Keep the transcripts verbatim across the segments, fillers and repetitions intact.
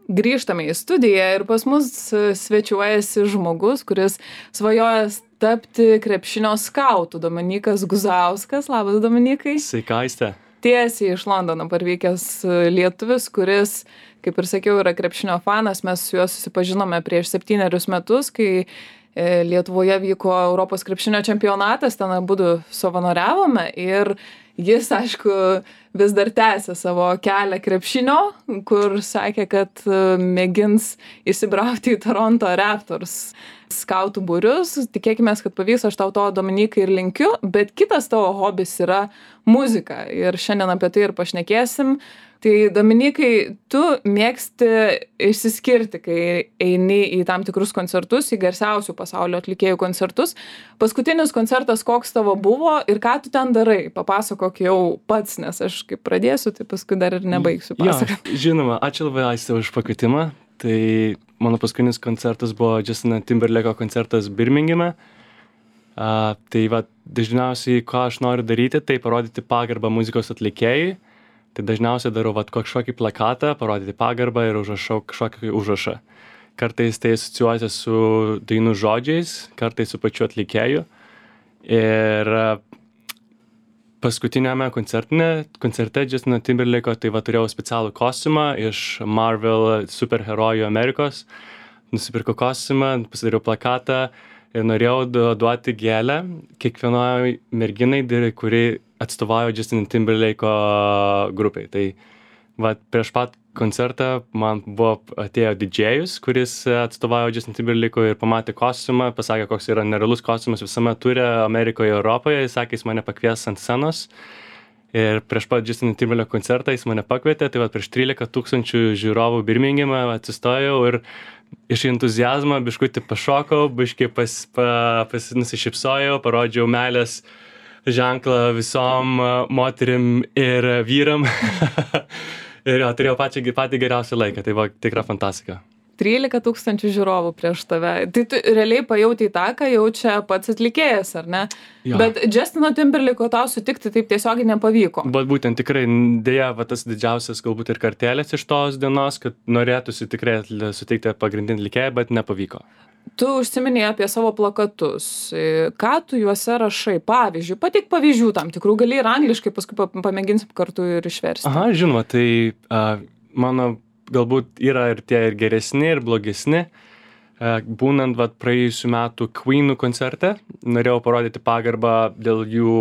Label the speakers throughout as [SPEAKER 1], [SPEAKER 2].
[SPEAKER 1] Grįžtame į studiją ir pas mus svečiuojasi žmogus, kuris svajoja tapti krepšinio skautu. Dominykas Guzauskas. Labas, Dominikai.
[SPEAKER 2] Sveika, Aiste.
[SPEAKER 1] Tiesiai iš Londono parvykęs lietuvis, kuris, kaip ir sakiau, yra krepšinio fanas. Mes su juo susipažinome prieš septynerius metus, kai Lietuvoje vyko Europos krepšinio čempionatas, ten abudu savanoriavome ir jis, aišku, vis dar tęsia savo kelią krepšinio, kur sakė, kad mėgins įsibrauti į Toronto Raptors skautų būrius. Tikėkime, kad pavyks, aš tau to, Dominikai, ir linkiu, bet kitas tavo hobis yra muzika ir šiandien apie tai ir pašnekėsim. Tai, Dominikai, tu mėgsti išsiskirti, kai eini į tam tikrus koncertus, į garsiausių pasaulio atlikėjų koncertus. Paskutinis koncertas koks tavo buvo ir ką tu ten darai? Papasakok jau pats, nes aš kaip pradėsiu, tai paskui dar ir nebaigsiu pasakoti.
[SPEAKER 2] Ja, žinoma, ačiū labai, Aiste, už pakvietimą. Tai mano paskutinis koncertas buvo Justino Timberlako koncertas Birmingeme. Uh, tai va, dažniausiai, ką aš noriu daryti, tai parodyti pagarbą muzikos atlikėjui. Tai dažniausiai darau vat, kažkokį plakatą, parodyti pagarbą ir užrašau kažkokį užrašą. Kartais tai asocijuojasi su dainų žodžiais, kartais su pačiu atlikėju. Ir paskutiniame koncerte Justino Timberlako tai va, turėjau specialų kostiumą iš Marvel superherojų Amerikos. Nusipirkau kostiumą, pasidariau plakatą ir norėjau duoti gėlę kiekvienoj merginai, kuri atstovauja Justino Timberlako grupiai. Tai va, prieš pat koncertą man buvo atėjo didžėjus, kuris atstovauja Justino Timberlako ir pamatė kostiumą, pasakė, koks yra nerealus kostiumas visame ture Amerikoje, Europoje. Jis sakė, jis mane pakvies ant scenos. Ir prieš pat Justino Timberlako koncertą jis mane pakvietė, tai va, prieš trylika tūkstančių žiūrovų Birmingeme atsistojau ir iš entuziazmo biškutį pašokau, biškai pas, pa, pas nusišypsojau, parodžiau meilės ženklą visom moterim ir vyram. Ir jo, turėjau pačią, patį geriausią laiką, tai buvo tikra fantastika.
[SPEAKER 1] trylika tūkstančių žiūrovų prieš tave. Tai tu realiai pajautai tą, ką jaučia pats atlikėjas, ar ne?
[SPEAKER 2] Jo.
[SPEAKER 1] Bet Justino Timberlako tau sutikti taip tiesiogiai nepavyko.
[SPEAKER 2] Bet būtent tikrai, dėja, va, tas didžiausias galbūt ir kartelės iš tos dienos, kad norėtųsi tikrai suteikti pagrindinį atlikėją, bet nepavyko.
[SPEAKER 1] Tu užsiminėjai apie savo plakatus. Ką tu juose rašai? Pavyzdžiui, pateik pavyzdžių tam tikrų, gali ir angliškai, paskui pamėginsim kartu ir išversti.
[SPEAKER 2] Aha, žinoma, tai uh, mano galbūt yra ir tie ir geresni, ir blogesni. Uh, būnant vat, praėjusių metų Queenų koncerte, norėjau parodyti pagarbą dėl jų,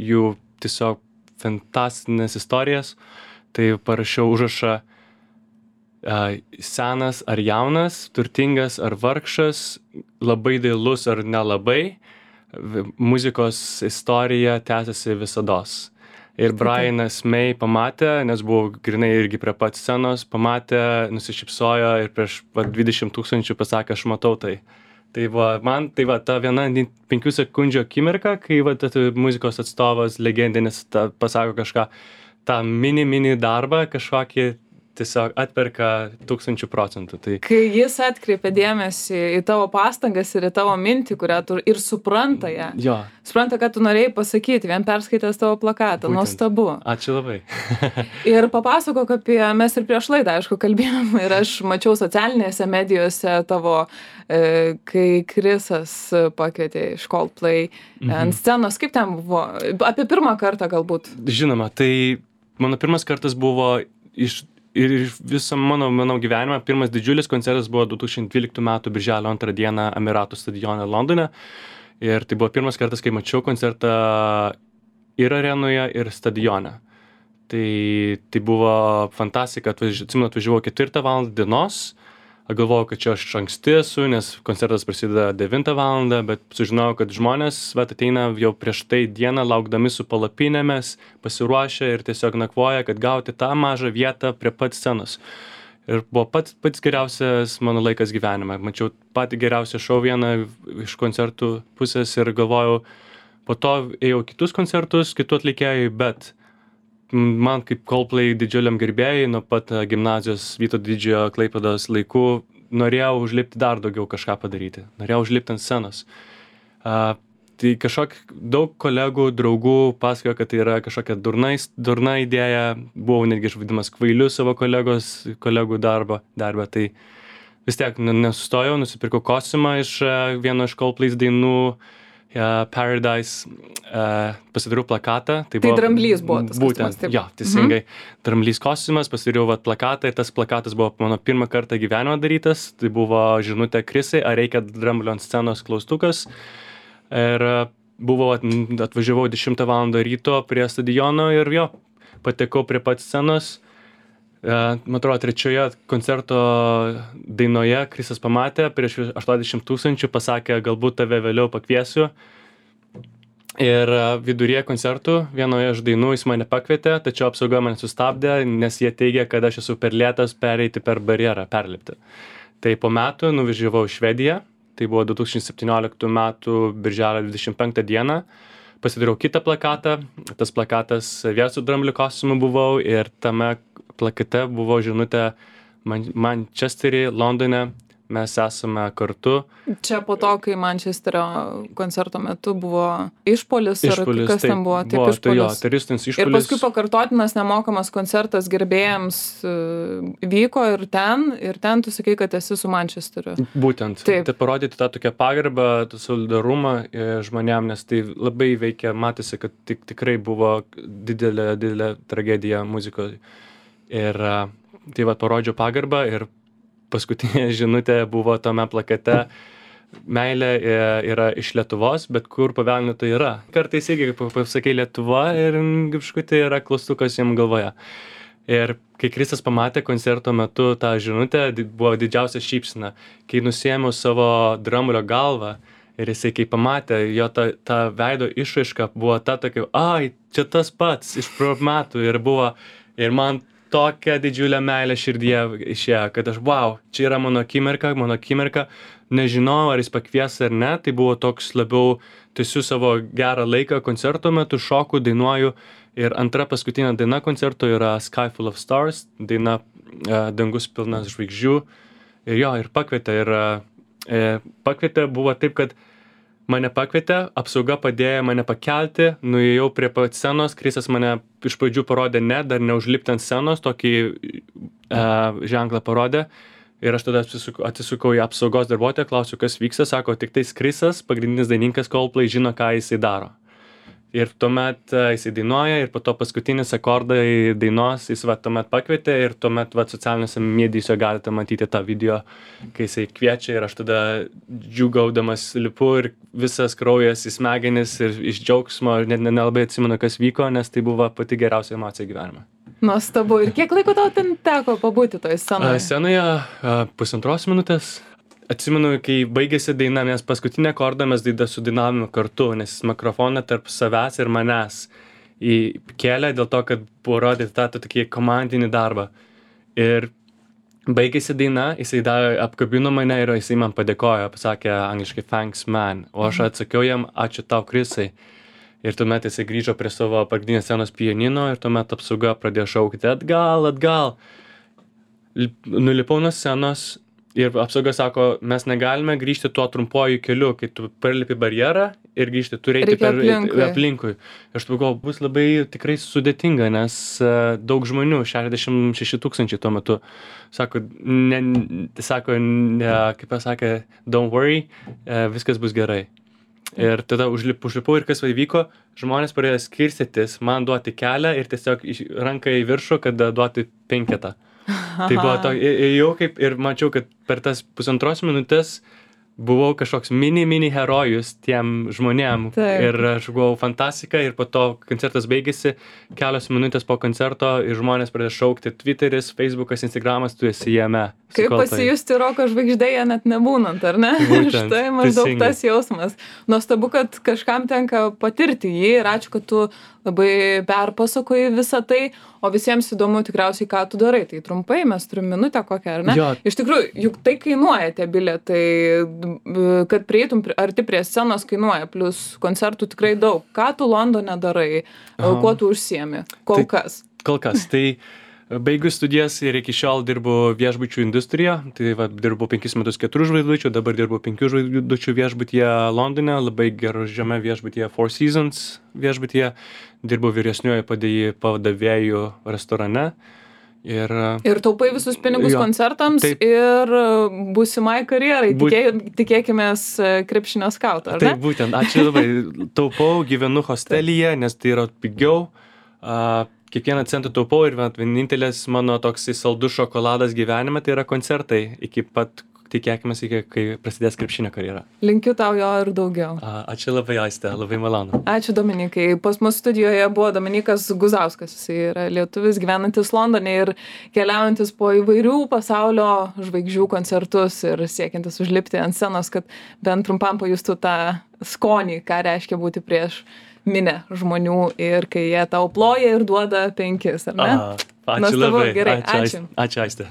[SPEAKER 2] jų tiesiog fantastinės istorijas. Tai parašiau užrašą Uh, senas ar jaunas, turtingas ar vargšas, labai dailus ar nelabai, muzikos istorija tęsiasi visados. Ir Brianas May pamatė, nes buvo grinai irgi prie pat scenos, pamatė, nusišypsojo ir prieš va, dvidešimt tūkstančių pasakė, aš matau tai. Tai va, man tai va, ta viena penkių sekundžių akimirka, kai va, ta, muzikos atstovas legendinis ta, pasako kažką, tą mini mini darbą, kažkokį tiesiog atperka tūkstančių procentų. Tai...
[SPEAKER 1] Kai jis atkreipia dėmesį į tavo pastangas ir į tavo mintį, kurią tu ir supranta ją.
[SPEAKER 2] Jo.
[SPEAKER 1] Supranta, ką tu norėjai pasakyti, vien perskaitęs tavo plakatą.
[SPEAKER 2] Būtent.
[SPEAKER 1] Nuostabu.
[SPEAKER 2] Ačiū labai.
[SPEAKER 1] Ir papasakok apie, mes ir prieš laidą, aišku, kalbėjom ir aš mačiau socialinėse medijose tavo, e, kai Krisas pakvietė iš Coldplay mhm. ant scenos. Kaip ten buvo? Apie pirmą kartą galbūt.
[SPEAKER 2] Žinoma, tai mano pirmas kartas buvo iš Ir visam mano, mano gyvenimą pirmas didžiulis koncertas buvo du tūkstančiai dvyliktų metų birželio antrą dieną Emiratų stadione Londone. Ir tai buvo pirmas kartas, kai mačiau koncertą ir arenoje, ir stadione. Tai, tai buvo fantastika, atsimenu, atvažiavau ketvirtą valandą dienos. Galvojau, kad čia aš anksti esu, nes koncertas prasideda devintą valandą, bet sužinojau, kad žmonės vat, ateina jau prieš tai dieną, laukdami su palapinėmis, pasiruošę ir tiesiog nakvoja, kad gauti tą mažą vietą prie pat scenos. Ir buvo pats, pats geriausias mano laikas gyvenime. Mačiau patį geriausią šou vieną iš koncertų pusės ir galvojau, po to ėjau kitus koncertus, kitų atlikėjų, bet man kaip Coldplay didžiuliam gerbėjai nuo pat gimnazijos Vytauto Didžiojo Klaipėdos laikų norėjau užlipti dar daugiau kažką padaryti. Norėjau užlipti ant scenos. Uh, tai kažkok daug kolegų, draugų pasakojo, kad tai yra kažkokia durnais, durna idėja, buvau netgi išvadimas kvailiu savo kolegos, kolegų darbo, darbą, tai vis tiek nesustojau, nusipirkau kostiumą iš vieno iš Coldplay dainų, uh, Paradise, uh, pasidariau plakatą.
[SPEAKER 1] Tai, tai dramblys buvo tas
[SPEAKER 2] būtent,
[SPEAKER 1] kostiumas, taip?
[SPEAKER 2] Jo, teisingai,
[SPEAKER 1] mhm.
[SPEAKER 2] Dramblys kostiumas, pasidariau vat, plakatą ir tas plakatas buvo mano pirmą kartą gyvenimo darytas, tai buvo žinutė Krisai, ar reikia dramblio ant scenos klaustukas. Ir buvo, atvažiavau dešimtą valandą ryto prie stadiono ir jo, patekau prie pat scenos. Man atrodo, trečioje koncerto dainoje Krisas pamatė, prieš aštuoniasdešimt tūkstančių pasakė, galbūt tave vėliau pakviesiu. Ir viduryje koncertų vienoje iš dainų jis mane pakvietė, tačiau apsauga mane sustabdė, nes jie teigia, kad aš esu per lėtas pereiti per barjerą, perlipti. Tai po metų nuvažiavau į Švediją. Tai buvo du tūkstančiai septynioliktų metų birželio dvidešimt penktą dieną. Pasidariau kitą plakatą. Tas plakatas vėl su dramblio kostiumu buvau ir tame plakate buvo žinutė Man- Mančestery, Londone. Mes esame kartu.
[SPEAKER 1] Čia po to, kai Mančesterio koncerto metu buvo išpolis,
[SPEAKER 2] Išpolis,
[SPEAKER 1] ar kas
[SPEAKER 2] taip,
[SPEAKER 1] ten buvo, taip
[SPEAKER 2] buvo, tai jo,
[SPEAKER 1] išpolis.
[SPEAKER 2] teroristinis
[SPEAKER 1] Ir
[SPEAKER 2] išpolis.
[SPEAKER 1] paskui pakartotinas nemokamas koncertas gerbėjams e, vyko ir ten, ir ten tu sakai, kad esi su Mančesteriu.
[SPEAKER 2] Būtent.
[SPEAKER 1] Taip.
[SPEAKER 2] Tai parodyti tą tokią pagarbą, tą solidarumą e, žmonėm, nes tai labai veikia, matėsi, kad tik, tikrai buvo didelė, didelė tragedija muzikoje. Ir e, tai va parodžiau pagarbą ir paskutinė žinutė buvo tame plakate. Meilė e, yra iš Lietuvos, bet kur pavelnių tai yra. Kartais irgi pasakai Lietuva ir kažkokia yra klaustukas jam galvoje. Ir kai Kristas pamatė koncerto metu tą žinutę, di- buvo didžiausia šypsena. Kai nusiėmiau savo dramblio galvą ir jisai kai pamatė, jo ta, ta veido išraiška buvo ta tokia, ai, čia tas pats iš pro metų ir buvo, ir man tokia didžiulė meilė širdyje išėjo, kad aš, wow, čia yra mano akimirka, mano akimirka, nežinau, ar jis pakvies ar ne, tai buvo toks labiau, tiesiu savo gerą laiką koncerto metu, šoku, dainuoju. Ir antra paskutinė daina koncerto yra Sky Full of Stars, daina e, Dangus pilnas žvaigždžių. Ir jo, ir pakvietė. Ir e, pakvietė buvo taip, kad mane pakvietė, apsauga padėjo mane pakelti, nuėjau prie pat scenos, Krisas mane iš pradžių parodė ne, dar neužlipti ant scenos, tokį e, ženklą parodė. Ir aš tada atsisukau, atsisukau į apsaugos darbuotoją, klausiu, kas vyksta, sako, tik tais Krisas, pagrindinis dainininkas Coldplay, žino, ką jisai daro. Ir tuomet uh, jisai dainuoja ir po to paskutinis akordai dainos jis va tuomet pakvietė ir tuomet va socialiniuose medijose galite matyti tą video, kai jisai kviečia ir aš tada džiūgaudamas lipu ir visas kraujas į smegenis ir iš džiaugsmo ir net nelabai atsimenu, kas vyko, nes tai buvo pati geriausia emocija gyvenime.
[SPEAKER 1] Nuostabu. Ir kiek laiko tau ten teko pabūti toje scenoje?
[SPEAKER 2] Uh, scenoje uh, pusantros minutės. Atsimenu, kai baigėsi daina, nes paskutinę akordą mes daidą sudainavome kartu, nes mikrofoną tarp savęs ir manęs įkėlė dėl to, kad buvo rodyti tą tokį komandinį darbą. Ir baigėsi daina, jisai davė, apkabino mane ir jisai man padėkojo, pasakė angliškai thanks man, o aš atsakiau jam ačiū tau Krisai. Ir tuomet jisai grįžo prie savo pagrindinės scenos pianino ir tuomet apsauga pradėjo šaukti atgal, atgal. Nulipau nuo scenos. Ir apsauga sako, mes negalime grįžti tuo trumpuoju keliu, kai tu perlipi barjerą ir grįžti, tu reikia per aplinkui. aplinkui. Aš pagalvojau, bus labai tikrai sudėtinga, nes uh, daug žmonių, šešiasdešimt šeši tūkstančiai tuo metu, sako, ne, sako ne, kaip pasakė, don't worry, uh, viskas bus gerai. Ir tada užlip, užlipau ir kas įvyko, žmonės pradėjo skirstytis, man duoti kelią ir tiesiog ranką į viršų, kad duoti penketą. Tai buvo to, ėjau kaip ir mačiau, kad per tas pusantros minutės buvau kažkoks mini, mini herojus tiem žmonėm.
[SPEAKER 1] Taip.
[SPEAKER 2] Ir aš buvau fantastika ir po to koncertas baigėsi, kelios minutės po koncerto ir žmonės pradėjo šaukti Twitteris, Facebookas, Instagramas, tu esi jame.
[SPEAKER 1] Kaip pasijusti roko žvaigždėje net nebūnant, ar ne?
[SPEAKER 2] Būtent,
[SPEAKER 1] Štai maždaug
[SPEAKER 2] teisingai.
[SPEAKER 1] tas jausmas. Nuostabu, kad kažkam tenka patirti jį ir ačiū, kad tu labai perpasakoji visą tai, o visiems įdomu tikriausiai, ką tu darai. Tai trumpai, mes turim minutę kokią, ar ne?
[SPEAKER 2] Jo.
[SPEAKER 1] Iš tikrųjų, juk tai kainuoja tie bilietai, kad prieitum pri- arti prie scenos kainuoja, plus koncertų tikrai daug. Ką tu Londone darai,
[SPEAKER 2] Aha.
[SPEAKER 1] kuo tu užsiemi, kol
[SPEAKER 2] Tai-
[SPEAKER 1] kas?
[SPEAKER 2] Kol kas. Tai Baigus studijas ir iki šiol dirbu viešbučių industrijoje, tai va, dirbu penkis metus keturių žvaigždučių, dabar dirbu penkių žvaigždučių viešbutyje Londone, labai geružiame viešbutyje Four Seasons viešbutyje, dirbu vyresniuoju padavėjų restorane. Ir,
[SPEAKER 1] ir taupai visus pinigus
[SPEAKER 2] jo,
[SPEAKER 1] koncertams
[SPEAKER 2] taip,
[SPEAKER 1] ir būsimai karjerai,
[SPEAKER 2] būt,
[SPEAKER 1] Tikė, tikėkimės krepšinio skauto, ar ne?
[SPEAKER 2] Taip, būtent, ačiū labai, taupau, gyvenu hostelyje, nes tai yra pigiau. Uh, Kiekvieną centą taupau ir vienintelis mano toks saldus šokoladas gyvenime tai yra koncertai iki pat, tikėkimės, iki kai prasidės krepšinio karjera.
[SPEAKER 1] Linkiu tau jo ir daugiau.
[SPEAKER 2] A, ačiū labai, Aiste, labai malonu.
[SPEAKER 1] Ačiū, Dominikai. Pas mus studijoje buvo Dominikas Guzauskas. Jis yra lietuvis gyvenantis Londone ir keliaujantis po įvairių pasaulio žvaigždžių koncertus ir siekiantis užlipti ant scenos, kad bent trumpam pajustų tą skonį, ką reiškia būti prieš minę žmonių ir kai jie tau ploja ir duoda penkis, ar ne?
[SPEAKER 2] A, ačiū
[SPEAKER 1] Nuostabu,
[SPEAKER 2] labai.
[SPEAKER 1] gerai,
[SPEAKER 2] ačiū.
[SPEAKER 1] ačiū.
[SPEAKER 2] Ačiū, Aiste.